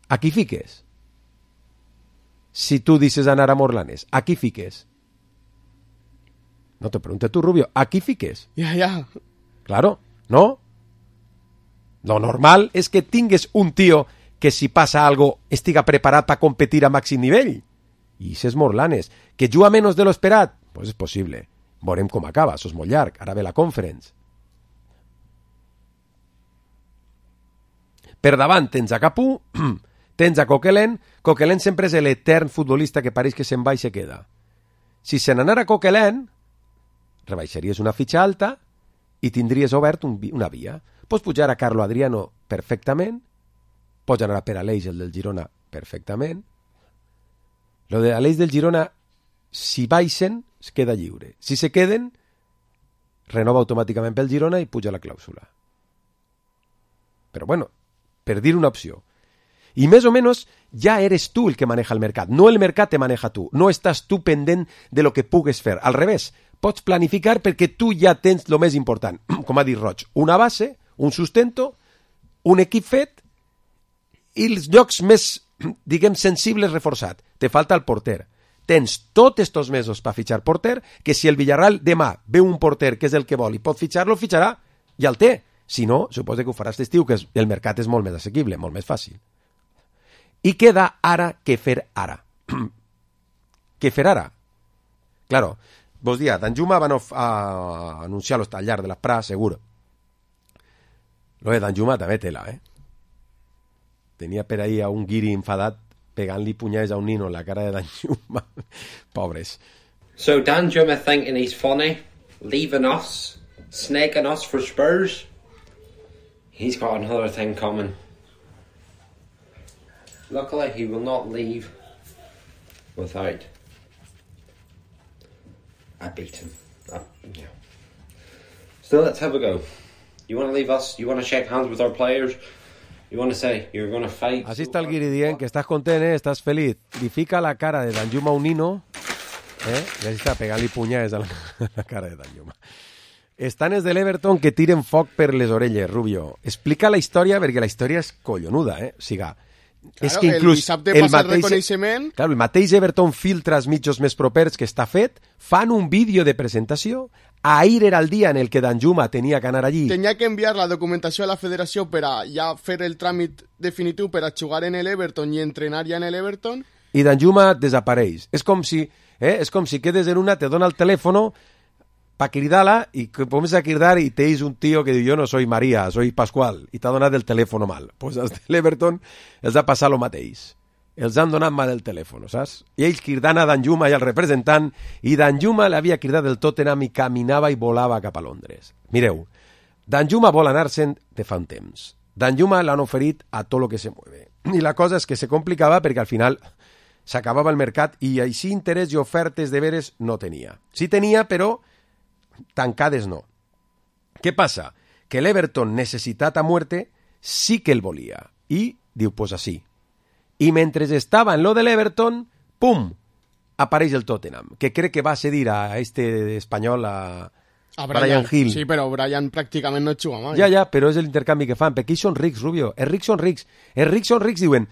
a qui fiques? Si tu dices anar a Morlanes, a qui fiques? No te pregunte tú, Rubio, ¿a qui fiques? Ja, ja. Claro, no? Lo normal és que tingues un tio que si passa algo estiga preparat per competir a màxim nivell. I ses Morlanes, que juga menys de lo esperat, pues és possible. Veurem com acaba, això és molt llarg, ara ve la conference. Per davant tens a Capú, tens a Coquelin. Coquelin sempre és l'etern futbolista que pareix que se'n va i se queda. Si se n'anara Coquelin, rebaixaries una fitxa alta i tindries obert un, una via. Pots pujar a Carlo Adriano perfectament, pots anar a per Aleix, el del Girona, perfectament. Lo de Aleix del Girona, si baixen, es queda lliure. Si se queden, renova automàticament pel Girona i puja la clàusula. Però bueno, per dir una opció. Y más o menos ya eres tú el que maneja el mercat, no el mercat te maneja tú, no estàs tu pendent de lo que pugues fer. Al revés, pots planificar perquè tu ja tens lo més important, com ha dit Roig, una base, un sustento, un equip fet i els llocs més, diguem, sensibles reforçat. Te falta el porter. Tens tots estos mesos per fitxar porter, que si el Villarreal demà veu un porter que és el que vol i pot fitxar-lo, fitxarà, ja el té. Si no, suposa que ho faràs d'estiu, que el mercat és molt més assequible, molt més fàcil. I queda ara que fer ara. Què fer ara? Claro, vos dia, Danjuma van a anunciar-lo al llarg de la Pra, segur. Lo de Danjuma també tela, eh? Tenia per ahí a un guiri enfadat pegant-li punyades a un nino en la cara de Danjuma. Pobres. So Danjuma thinking he's funny, leaving us, snaking us for Spurs. He's got another thing coming. Luckily, he will not leave without I beat him. I, yeah. Still, let's have a go. You want to leave us? You want to shake hands with our players? You want to say you're going to fight? Así está el guiri dient que estàs content, eh? Estàs feliç. Li fica la cara de Danjuma a un nino, eh? I així està pegant-li punyades a la, a la cara de Danjuma. Estan els de l'Everton que tiren foc per les orelles, Rubio. Explica la història, perquè la història és collonuda, eh? O sigui, claro, és que inclús el dissabte el passa mateix, el reconeixement... Claro, el mateix Everton filtra els mitjos més propers que està fet, fan un vídeo de presentació, ahir era el dia en el que Danjuma tenia que anar allí. Tenia que enviar la documentació a la federació per a ja fer el tràmit definitiu per a jugar en l'Everton i entrenar ja en l'Everton. I Danjuma desapareix. És com si, eh, és com si quedes en una, te dona el telèfono para cridar-la y que comienza a cridar y te dice un tío que diu, yo no soy María, soy Pascual, i t'ha donat el telèfono mal. Pues als de l'Everton els ha passat el mateix. Els han donat mal el telèfon, saps? I ells cridant a Danjuma i al representant, i Danjuma l'havia cridat del Tottenham i caminava i volava cap a Londres. Mireu, Danjuma vol anar-se'n de fa un temps. Danjuma l'han oferit a tot lo que se mueve. I la cosa és que se complicava perquè al final s'acabava el mercat i així interès i ofertes de veres no tenia. Sí tenia, però tancades no. Què passa? Que l'Everton, necessitat a muerte, sí que el volia. I diu, pues así. I mentre estava en lo de l'Everton, pum, apareix el Tottenham, que crec que va cedir a este espanyol, a, a Brian, Brian Hill. Sí, però Brian pràcticament no juga mai. Ja, ja, però és l'intercanvi que fan, perquè ells són rics, Rubio. Els rics són rics. Els rics són rics, diuen,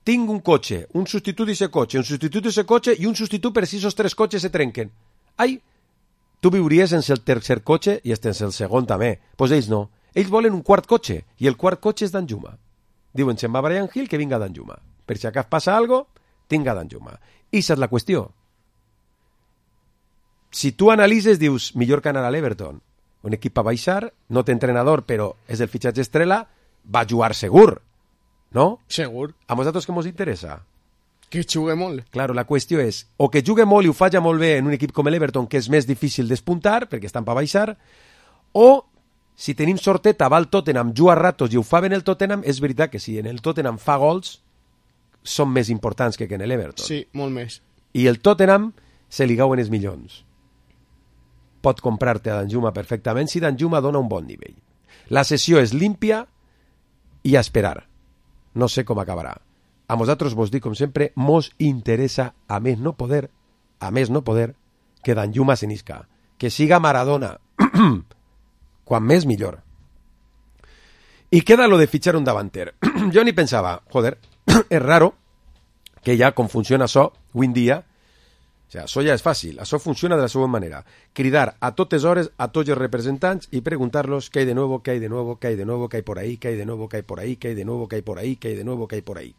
tinc un cotxe, un substitut d'ese cotxe, un substitut d'ese cotxe i un substitut per si esos tres cotxes se trenquen. Ai, tu viuries sense el tercer cotxe i sense el segon també. Doncs pues ells no. Ells volen un quart cotxe i el quart cotxe és Danjuma. Diuen, se'n va Brian Hill, que vinga Danjuma. Per si acá passa algo, tinga Danjuma. I esa és la qüestió. Si tu analitzes, dius, millor que anar a l'Everton. Un equip a baixar, no té entrenador, però és el fitxatge estrella, va jugar segur. No? Segur. A nosaltres què ens interessa? Que jugue molt. Claro, la qüestió és, o que jugue molt i ho faci molt bé en un equip com l'Everton, que és més difícil despuntar, perquè estan per baixar, o, si tenim sorteta, va al Tottenham, juga ratos i ho fa ben el Tottenham, és veritat que si en el Tottenham fa gols, són més importants que en l'Everton. Sí, molt més. I el Tottenham se li gauen els milions. Pot comprar-te a Danjuma perfectament si Danjuma dona un bon nivell. La sessió és límpia i a esperar. No sé com acabarà. A nosaltres vos dic, com sempre, mos interessa a més no poder, a més no poder, que Danjuma se n'isca. Que siga Maradona. Quan més, millor. I queda lo de fitxar un davanter. Jo ni pensava, joder, és raro que ja com funciona això, avui en dia, sigui, això ja és fàcil, això funciona de la següent manera. Cridar a totes hores a tots els representants i preguntar-los què hay de nuevo, què hay de nuevo, què hay de nuevo, què hay por ahí, què hay de nuevo, què hay por ahí, què hay de nuevo, què hay por ahí, què hay de nuevo, què hay por ahí.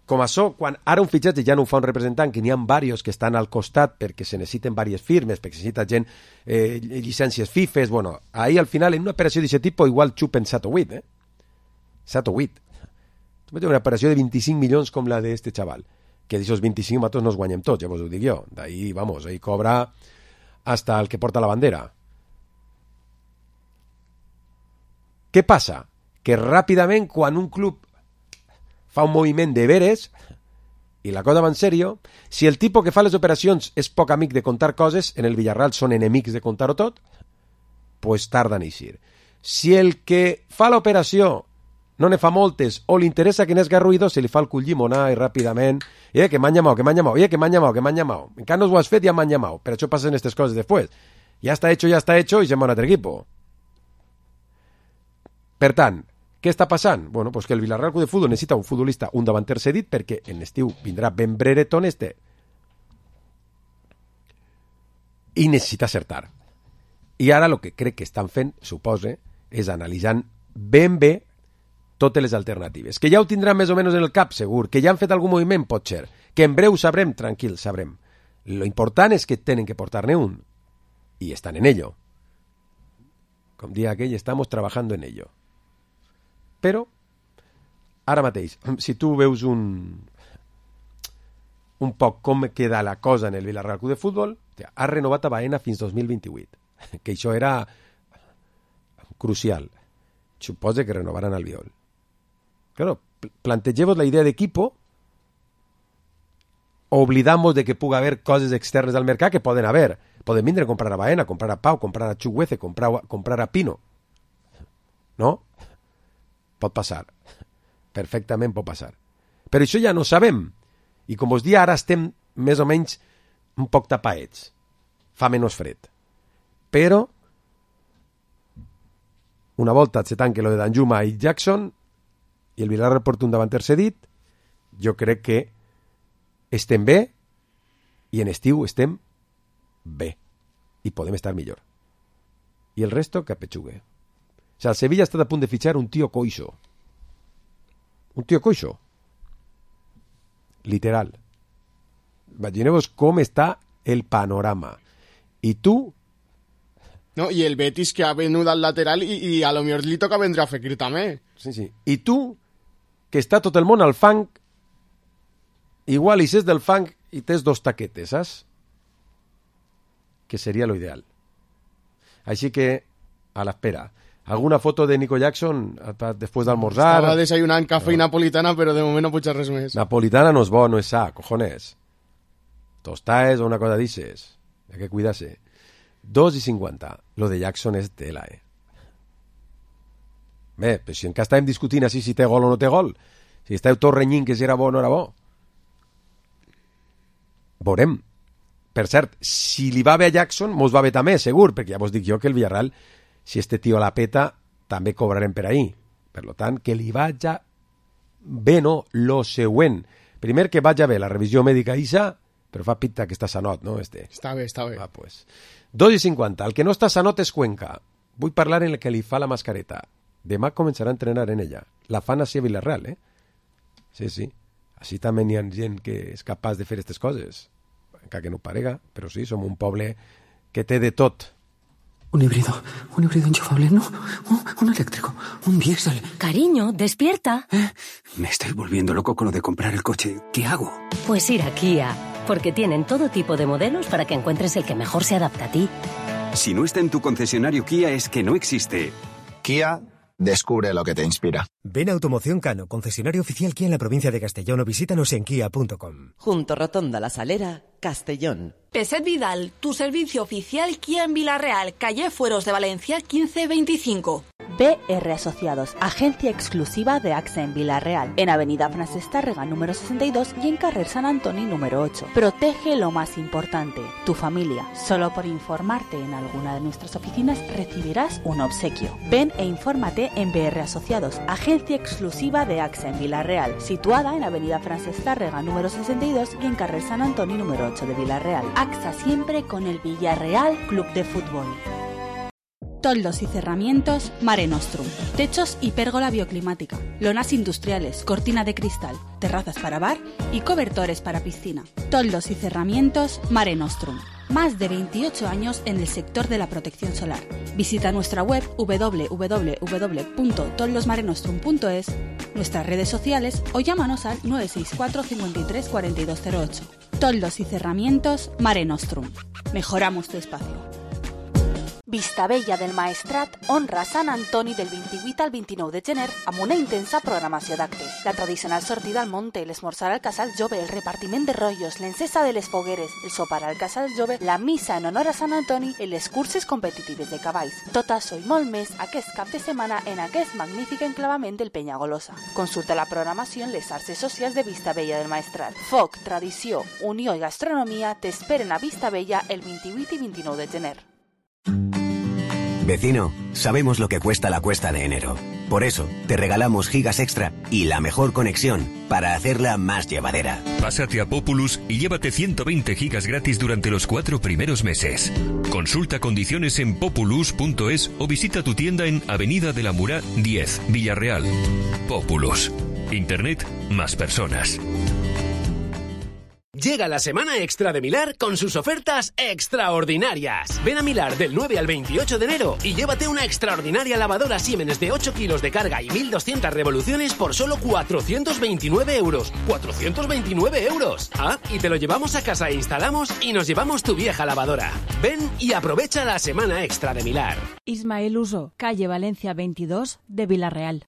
Com això, quan ara un fitxatge ja no ho fa un representant, que n'hi ha diversos que estan al costat perquè se necessiten diverses firmes, perquè se necessita gent, eh, llicències FIFES, bueno, ahí al final, en una operació d'aquest tipus, igual xupen set o vuit, eh? set o vuit. Tu una operació de vint-i-cinc milions com la d'este xaval, que d'aixòs vint-i-cinc nosaltres no els guanyem tots, ja vos ho dic jo. D'ahí, vamos, ahí cobra hasta el que porta la bandera. Què passa? Que ràpidament, quan un club fa un moviment de veres i la cosa va en sèrio, si el tipus que fa les operacions és poc amic de contar coses, en el Villarreal són enemics de contar-ho tot, pues tarda en eixir. Si el que fa l'operació no ne fa moltes o li interessa que n'és garruïdo, se li fa el cul llimonar i ràpidament, eh, que m'han llamado, que m'han llamado, eh, que m'han llamado, que m'han llamado. Encara no ho has fet, ja m'han llamado. Per això passen aquestes coses després. Ja està hecho, ja està hecho, i se'n va un altre equipo. Per tant, què està passant? Bueno, pues que el Villarreal Club de Futbol necessita un futbolista, un davanter cedit, perquè en estiu vindrà ben brereton este. I necessita acertar. I ara el que crec que estan fent, supose, és analitzant ben bé totes les alternatives. Que ja ho tindran més o menys en el cap, segur. Que ja han fet algun moviment, pot ser. Que en breu sabrem, tranquil, sabrem. Lo important és que tenen que portar-ne un. I estan en ello. Com dia aquell, estamos trabajando en ello. Però, ara mateix, si tu veus un un poc com queda la cosa en el Villarreal Club de Futbol, ha renovat a Baena fins dos mil vint-i-vuit, que això era crucial. Suposa que renovaran Albiol. Claro, plantegeu-vos la idea d'equipo, oblidamos de que puga haver coses externes al mercat que poden haver. Poden vindre a comprar a Baena, comprar a Pau, comprar a Chuguece, comprar, comprar a Pino. No? Pot passar. Perfectament pot passar. Però això ja no sabem. I com us dia, ara estem més o menys un poc tapaets. Fa menys fred. Però una volta se tanque lo de Danjuma i Jackson i el Villarreal porta un davanter cedit, jo crec que estem bé i en estiu estem bé. I podem estar millor. I el resto que apetxugue. O sea, el Sevilla ha estat a punt de fitxar un tio coixo. Un tio coixo. Literal. Imagineu-vos com està el panorama. I tu... No, i el Betis que ha venut al lateral i, i a lo millor li toca vendre a Fekir també. Sí, sí. I tu, que està tot el món al fang, igual hi ses del fang i tens dos taquetes, saps? Que seria lo ideal. Així que, a l'espera. Alguna foto de Nico Jackson després d'almorzar? Estava desayunant cafè no. i napolitana, però de moment no puig res més. Napolitana no és bo, no és sa, cojones. Tostaes o una cosa d'ixes. Hay que cuidarse. dos i cinquanta. Lo de Jackson és tela, eh? Bé, però si encara estàvem discutint així si té gol o no té gol. Si estàveu tot renyint que si era bo o no era bo. Veurem. Per cert, si li va bé a Jackson, mos va bé també, segur, perquè ja vos dic jo que el Villarreal, si este tio la peta, també cobrarem per ahí. Per lo tant, que li vaja bé, no? Lo següent. Primer que vaja bé la revisió mèdica Isa, però fa pinta que està sanot, no? Este. Està bé, està bé. Va, pues. dos i cinquanta. El que no està sanot és Cuenca. Vull parlar en el que li fa la mascareta. Demà començarà a entrenar en ella. La fan així a Villarreal, eh? Sí, sí. Així també hi ha gent que és capaç de fer aquestes coses. Encara que no ho parega, però sí, som un poble que té de tot. Un híbrido, un híbrido enchufable, no, un, un eléctrico, un diésel. Cariño, despierta. ¿Eh? Me estoy volviendo loco con lo de comprar el coche. ¿Qué hago? Pues ir a Kia, porque tienen todo tipo de modelos para que encuentres el que mejor se adapta a ti. Si no está en tu concesionario Kia es que no existe. Kia, descubre lo que te inspira. Ven a Automoción Cano, concesionario oficial Kia en la provincia de Castellón, o visítanos en kia punto com. Junto Rotonda La Salera, Castellón. Peset Vidal, tu servicio oficial Kia en Villarreal, calle Fueros de Valencia quince veinticinco. B R Asociados, agencia exclusiva de AXA en Vila-real, en Avenida Francesc Tàrrega número sesenta y dos y en Carrer Sant Antoni número ocho. Protege lo más importante, tu familia. Solo por informarte en alguna de nuestras oficinas recibirás un obsequio. Ven e infórmate en B R Asociados, agencia exclusiva de AXA en Vila-real, situada en Avenida Francesc Tàrrega número sesenta y dos y en Carrer Sant Antoni número ocho de Vila-real. AXA siempre con el Villarreal Club de Fútbol. Toldos y cerramientos Mare Nostrum. Techos y pérgola bioclimática. Lonas industriales, cortina de cristal, terrazas para bar y cobertores para piscina. Toldos y cerramientos Mare Nostrum. Más de veintiocho años en el sector de la protección solar. Visita nuestra web doble u doble u doble u punto toldosmarenostrum punto es, nuestras redes sociales o llámanos al nueve seis cuatro cincuenta y tres cuarenta y dos cero ocho. Toldos y cerramientos Mare Nostrum. Mejoramos tu espacio. Vistabella del Maestrat honra Sant Antoni del vint-i-vuit al vint-i-nou de gener amb una intensa programació d'actes. La tradicional sortida al monte, l'esmorzar al Casal Jove, el repartiment de rotllos, l'encesa de les fogueres, el sopar al Casal Jove, la missa en honor a Sant Antoni i les curses competitives de cavalls. Tot això i molt més aquest cap de setmana en aquest magnífic enclavament del Penyagolosa. Consulta la programació en les xarxes socials de Vistabella del Maestrat. Foc, tradició, unió i gastronomia t'esperen a Vistabella el vint-i-vuit i vint-i-nou de gener. Vecino, sabemos lo que cuesta la cuesta de enero. Por eso, te regalamos gigas extra y la mejor conexión para hacerla más llevadera. Pásate a Populus y llévate ciento veinte gigas gratis durante los cuatro primeros meses. Consulta condiciones en populus punto es o visita tu tienda en Avenida de la Murá diez, Villarreal. Populus. Internet más personas. Llega la semana extra de Milar con sus ofertas extraordinarias. Ven a Milar del nueve al veintiocho de enero y llévate una extraordinaria lavadora Siemens de ocho kilos de carga y mil doscientas revoluciones por solo cuatrocientos veintinueve euros. ¡cuatrocientos veintinueve euros! Ah, y te lo llevamos a casa e instalamos y nos llevamos tu vieja lavadora. Ven y aprovecha la semana extra de Milar. Ismael Uso, calle Valencia veintidós de Vila-real.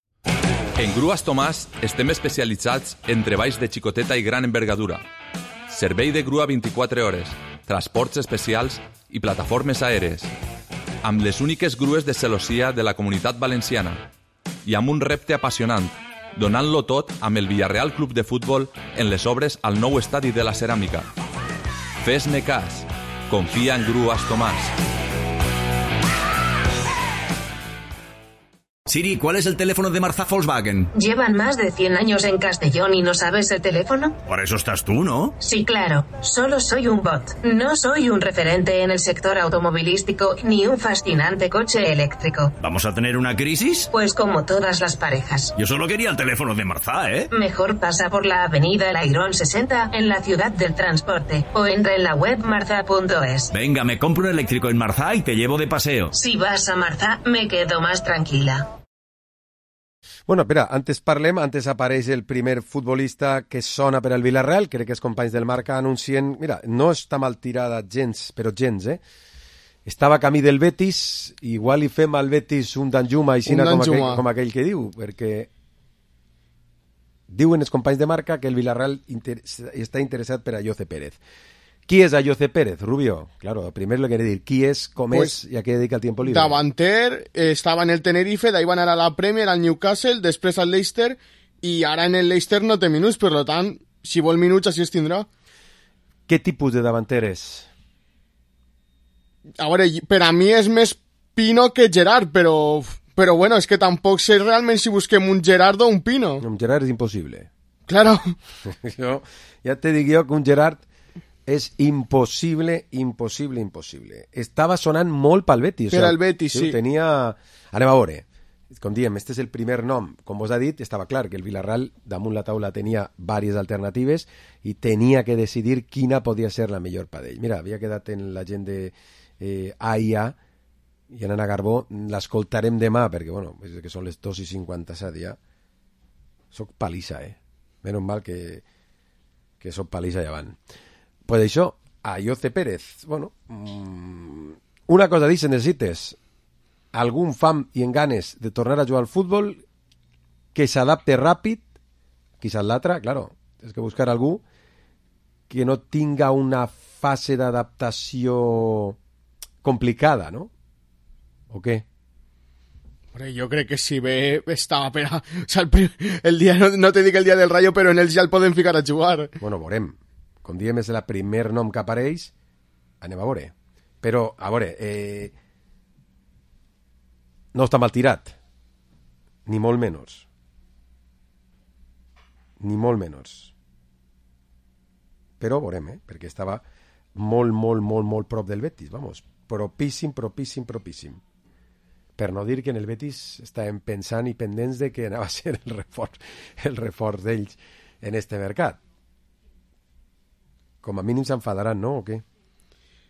En Grues Tomàs estem especialitzats en treballs de xicoteta i gran envergadura. Servei de grua vint-i-quatre hores, transports especials i plataformes aèries, amb les úniques grues de celossia de la Comunitat Valenciana i amb un repte apassionant, donant-lo tot amb el Villarreal Club de Futbol en les obres al nou estadi de la Ceràmica. Fes-ne cas, confia en Grues Tomàs. Siri, ¿cuál es el teléfono de Marzá Volkswagen? ¿Llevan más de cien años en Castellón y no sabes el teléfono? Por eso estás tú, ¿no? Sí, claro. Solo soy un bot. No soy un referente en el sector automovilístico ni un fascinante coche eléctrico. ¿Vamos a tener una crisis? Pues como todas las parejas. Yo solo quería el teléfono de Marzá, ¿eh? Mejor pasa por la avenida Lairón sesenta en la ciudad del transporte o entra en la web marzá punto es. Venga, me compro un eléctrico en Marzá y te llevo de paseo. Si vas a Marzá, me quedo más tranquila. Bueno, espera, antes parlem, antes apareix el primer futbolista que sona per al Villarreal, crec que els companys del Marca anuncien... Mira, no està mal tirada gens, però gens, eh? Estava a camí del Betis, igual hi fem al Betis un Danjuma, aixina com, aquell, com aquell que diu, perquè diuen els companys de Marca que el Villarreal inter està interessat per a Ayoce Pérez. ¿Qui és Ayoce Pérez, Rubio? Claro, primero le quiere decir, ¿qui es, cómo pues, es y a qué dedica el tiempo libre? Davanter, eh, estaba en el Tenerife, d'ahí van anar a la Premier, al Newcastle, després al Leicester, i ara en el Leicester no té minuts, per tant, si vol minuts, així es tindrà. Què tipus de davanter és? A veure, per a mi és més Pino que Gerard, però, però bueno, és que tampoc sé realment si busquem un Gerard o un Pino. Un Gerard és impossible. Claro. Jo, ja te dic jo que un Gerard és impossible, impossible, impossible. Estava sonant molt pel Betis. Per al Betis, sí. Tenia... Anem a veure. Com diem, este és el primer nom. Com vos ha dit, estava clar que el Villarreal damunt la taula tenia diverses alternatives i tenia que decidir quina podia ser la millor per ell. Mira, havia quedat en la gent de eh, A I A i en Anna Garbó. L'escoltarem demà, perquè, bueno, és que són les dos i cinquanta-set ja. Soc palissa, eh? Menys mal que, que soc palissa llevant. Pues això, Ayoce Pérez. Bueno, mmm, una cosa dice, necessites algun fam i en ganes de tornar a jugar al futbol que s'adapte ràpid, quizás l'altra, claro, tens que buscar algú que no tinga una fase d'adaptació complicada, ¿no? ¿O què? Hombre, jo crec que si bé estava per a... O sea, el, el dia, no, no te dic el dia del Rayo, però en ells ja el poden ficar a jugar. Bueno, veurem. Com diem, és el primer nom que apareix, anem a veure. Però, a veure, eh... no està mal tirat. Ni molt menys. Ni molt menys. Però veurem, eh? Perquè estava molt, molt, molt, molt prop del Betis, vamos. Propíssim, propíssim, propíssim. Per no dir que en el Betis estàvem pensant i pendents de que anava a ser el reforç, el reforç d'ells en este mercat. Com a mínim s'enfadaran, no? O què?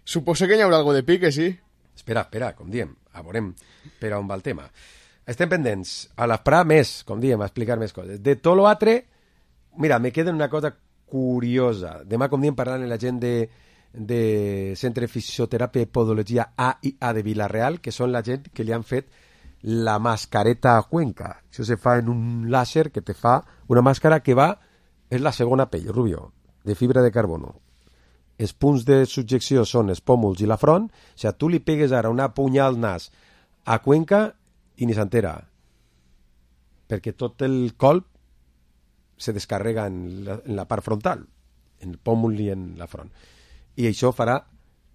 Suposo que hi haurà algo de pique, sí. Espera, espera, com diem, a veurem per on va el tema. Estem pendents a l'esprà més, com diem, a explicar més coses. De tot l'altre, mira, me queda una cosa curiosa. Demà, com diem, parlant amb la gent de... de Centre de Fisioteràpia i Podologia A i A de Vilareal, que són la gent que li han fet la mascareta a Cuenca. Això se fa en un làser que te fa una màscara que va, és la segona pell, Rubio, de fibra de carbono. Els punts de subjecció són els pòmuls i la front. O sigui, tu li pegues ara una punyal al nas a Cuenca i ni s'entera, perquè tot el colp se descarrega en la, en la part frontal, en el pòmul i en la front. I això farà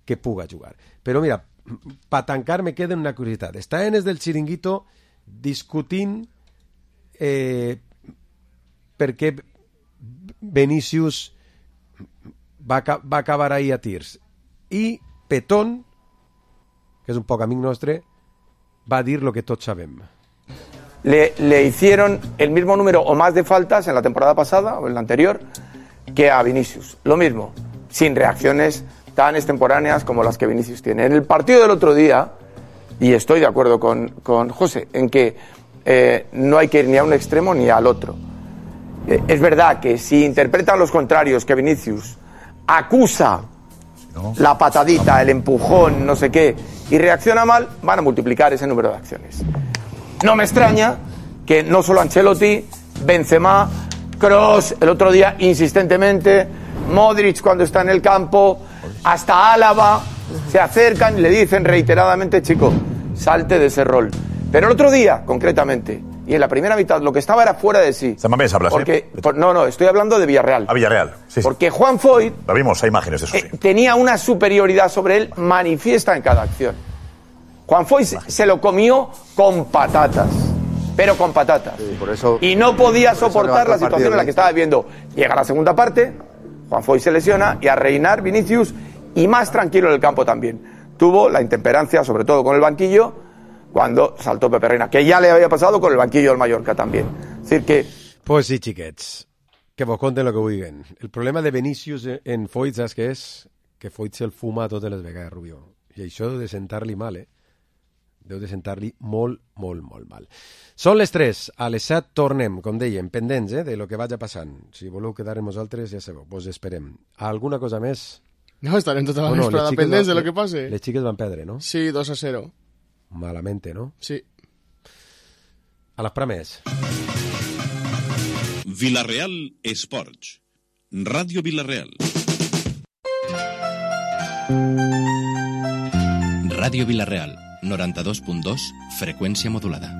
que puga jugar. Però mira, per tancar me queda una curiositat. Estaven els del Chiringuito discutint eh, per què Vinícius va, va acabar ahí a tirs. I Petón, que és un poc amic nostre, va dir lo que tots sabem. Le, le hicieron el mismo número o más de faltas en la temporada pasada o en la anterior que a Vinícius. Lo mismo. Sin reacciones tan extemporáneas como las que Vinícius tiene. En el partido del otro día, y estoy de acuerdo con, con José, en que eh, no hay que ir ni a un extremo ni al otro. Eh, es verdad que si interpretan los contrarios que Vinícius acusa no. la patadita, el empujón, no sé qué, y reacciona mal, van a multiplicar ese número de acciones. No me extraña que no solo Ancelotti, Benzema, Kroos, el otro día insistentemente, Modric cuando está en el campo, hasta Álava, se acercan y le dicen reiteradamente, chico, salte de ese rol. Pero el otro día, concretamente, y en la primera mitad, lo que estaba era fuera de sí. Samamés hablas, porque, ¿eh? por, no, no, estoy hablando de Villarreal. A Villarreal, sí, sí. Porque Juan Foyth... Lo vimos, hay imágenes de eso, sí. Eh, tenía una superioridad sobre él manifiesta en cada acción. Juan Foyth se lo comió con patatas. Pero con patatas. Sí, por eso, y no podía soportar la situación partido, en la que estaba viviendo. Llega la segunda parte, Juan Foyth se lesiona y a reinar Vinícius, y más tranquilo en el campo también. Tuvo la intemperancia, sobre todo con el banquillo, cuando saltó Pepe Reina, que ya le había pasado con el banquillo del Mallorca también. Es decir que... Pues sí, xiquets, que vos conten lo que vulguin. El problema de Vinícius en Foyth, saps què és? Que Foyth se'l fuma totes les vegades, Rubio. I això deu de sentar-li mal, eh? Deu de sentar-li molt, molt, molt mal. Són les tres, a les set tornem, com dèiem, pendents eh, de lo que vagi passant. Si voleu quedar amb nosaltres, ja sabeu, vos esperem. Alguna cosa més? No, estarem tota la oh, no, vesprada pendents de lo que passe. Les xiques van perdre, no? Sí, dos a cero. Malamente, ¿no? Sí. A les prames. Vilareal Esports. Ràdio Vilareal. Ràdio Vilareal, noranta-dos punt dos, freqüència modulada.